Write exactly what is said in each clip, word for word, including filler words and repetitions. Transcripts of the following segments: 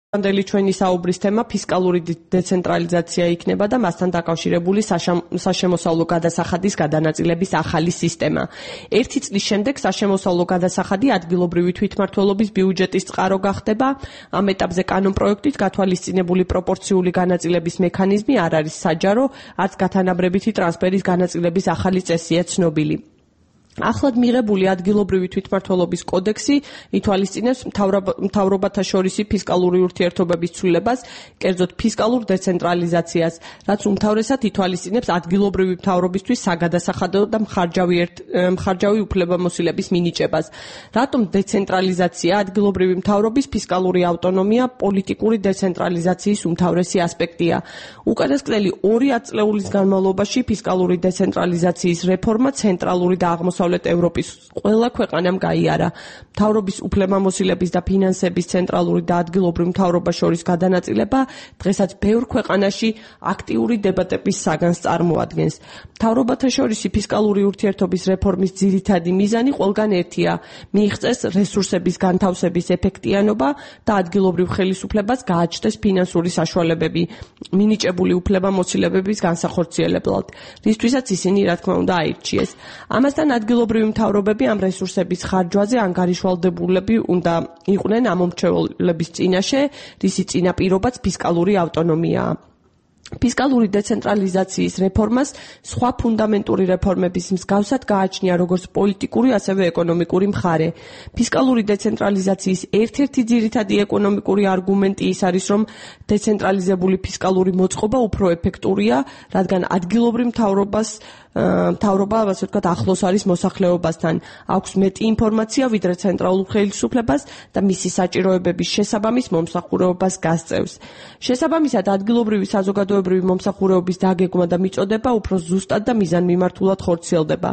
ანდელი ჩვენი საუბრის თემა ფისკალური დეცენტრალიზაცია იქნება და მასთან დაკავშირებული საშემოსავლო გადასახადის გადანაწილების ახალი სისტემა. ერთი წლის შემდეგ საშემოსავლო გადასახადი ადგილობრივი თვითმმართველობის ბიუჯეტის წყარო გახდება. ამ ეტაპზე კანონპროექტით გათვალისწინებული პროპორციული განაწილების მექანიზმი არ არის საჯარო, არც გათანაბრებითი ტრანსფერის განაწილების ახალი წესია ცნობილი. Ახლად მიღებული ადგილობრივი თვითმმართველობის კოდექსი ითვალისწინებს მთავრობათა შორისი ფისკალური ურთიერთობების ცვლილებას, კერძოდ ფისკალურ დეცენტრალიზაციას, რაც უმთავრესად ითვალისწინებს ადგილობრივი მთავრობისთვის საგადასახადო და მხარჯავი უფლებამოსილების მინიჭებას. რატომ დეცენტრალიზაცია ადგილობრივი მთავრობის ფისკალური ავტონომია პოლიტიკური დეცენტრალიზაციის უმთავრესი ასპექტია. უკანასკნელი ორი ათწლეულის განმავლობაში ფისკალური დეცენტრალიზაციის რეფორმა ცენტრალური და აღმოსავლეთ ევროპის ყველა ქვეყანამ გაიარა. მთავრობის უფლებამოსილების და ფინანსების ცენტრალური და ადგილობრივ მთავრობას შორის გადანაწილება დღესაც ბევრ ქვეყანაში აქტიური დებატების საგანს წარმოადგენს. მთავრობათა შორისი ფისკალური ურთიერთობის რეფორმის ძირითადი მიზანი ყველგან ერთია: მიიღწეს რესურსების განთავსების ეფექტიანობა და ადგილობრივ ხელისუფლებას გააჩნდეს ფინანსური საშუალებები მინიჭებული უფლებამოსილებების განსახორციელებლად, რისთვისაც ისინი რა თქმა უნდა აირჩიეს. ამასთან ადგილობრივი მთავრობები ამ რესურსების ხარჯვაზე ანგარიშვალდებულები უნდა იყვნენ ამ მომრჩევლების წინაშე, რისი წინაპირობაც ფისკალური ავტონომიაა. ფისკალური დეცენტრალიზაციის რეფორმას სხვა ფუნდამენტური რეფორმების მსგავსად გააჩნია როგორც პოლიტიკური, ასევე ეკონომიკური მხარე. ფისკალური დეცენტრალიზაციის ერთ-ერთი ძირითადი ეკონომიკური არგუმენტი ის არის, რომ დეცენტრალიზებული ფისკალური მოწყობა უფრო ეფექტურია, რადგან ადგილობრივ მთავრობას მთავრობა, ასე ვთქვათ, ახლოს არის მოსახლეობასთან, აქვს მეტი ინფორმაცია ვიდრე ცენტრალურ ხელისუფლებას და მისი საჭიროებების შესაბამის მომსახურებას გასწევს. შესაბამისად, ადგილობრივი საზოგადოებრივი მომსახურების დაგეგმა და მიწოდება უფრო ზუსტად და მიზანმიმართულად ხორციელდება.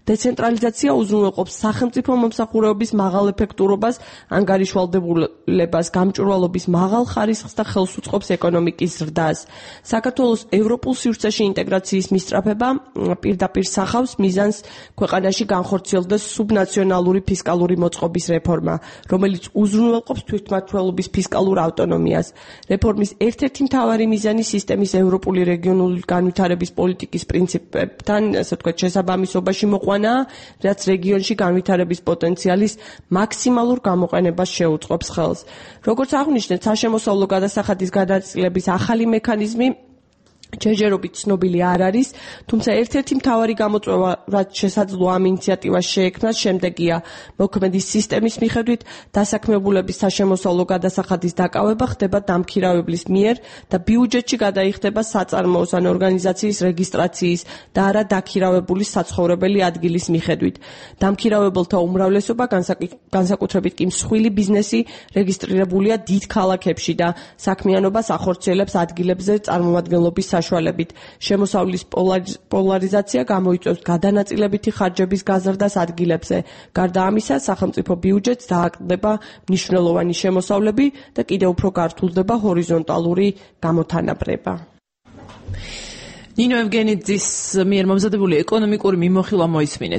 დეცენტრალიზაცია უზრუნველყოფს სახელმწიფო მომსახურების მაღალ ეფექტურობას, ანგარიშვალდებულებას, გამჭვირვალობის მაღალ ხარისხს და ხელს უწყობს ეკონომიკის ზრდას. საქართველოს ევროპულ სივრცეში ინტეგრაციის მისწრაფება პირდაპირ სახავს მიზანს ქვეყანაში განხორციელდეს სუბნაციონალური ფისკალური მოწყობის რეფორმა, რომელიც უზრუნველყოფს თვითმმართველობის ფისკალურ ავტონომიას. რეფორმის ერთ-ერთი მთავარი მიზანი სისტემის ევროპული რეგიონული განვითარების პოლიტიკის პრინციპებთან, ასე ვთქვათ, შესაბამისობაში მოყვანაა, რაც რეგიონში განვითარების პოტენციალის მაქსიმალურ გამოყენებას შეუწყობს ხელს. როგორც აღნიშნეთ, საშემოსავლო გადასახადის გადაწილების ახალი მექანიზმი ჯერჯერობით ცნობილი არ არის, თუმცა ერთ-ერთი მთავარი გამოწვევა, რაც შესაძლოა ამ ინიციატივას შეექმნას, შემდეგია: მოქმედი სისტემის მიხედვით დასაქმებულების საშემოსავლო გადასახადის დაკავება ხდება დამქირავებლის მიერ და ბიუჯეტში გადაიხდება საწარმოოს ან ორგანიზაციის რეგისტრაციის და არა დაქირავებული საცხოვრებელი ადგილის მიხედვით. დამქირავებელთა უმრავლესობა, განსაკუთრებით კი მსხვილი ბიზნესი, რეგისტრირებულია დიდ ქალაქებში და საქმიანობას ახორციელებს ადგილებზე წარმომადგენლობის საშუალებით. შემოსავლის პოლარიზაცია გამოიწვევს გადანაწილებითი ხარჯების გაზრდას ადგილებზე. გარდა ამისა, სახელმწიფო ბიუჯეტს დააკლდება მნიშვნელოვანი შემოსავლები და კიდევ უფრო გართულდება ჰორიზონტალური გამოთანაბრება. ნინო ევგენიძის მიერ მომზადებული ეკონომიკური მიმოხილვა მოისმინეთ.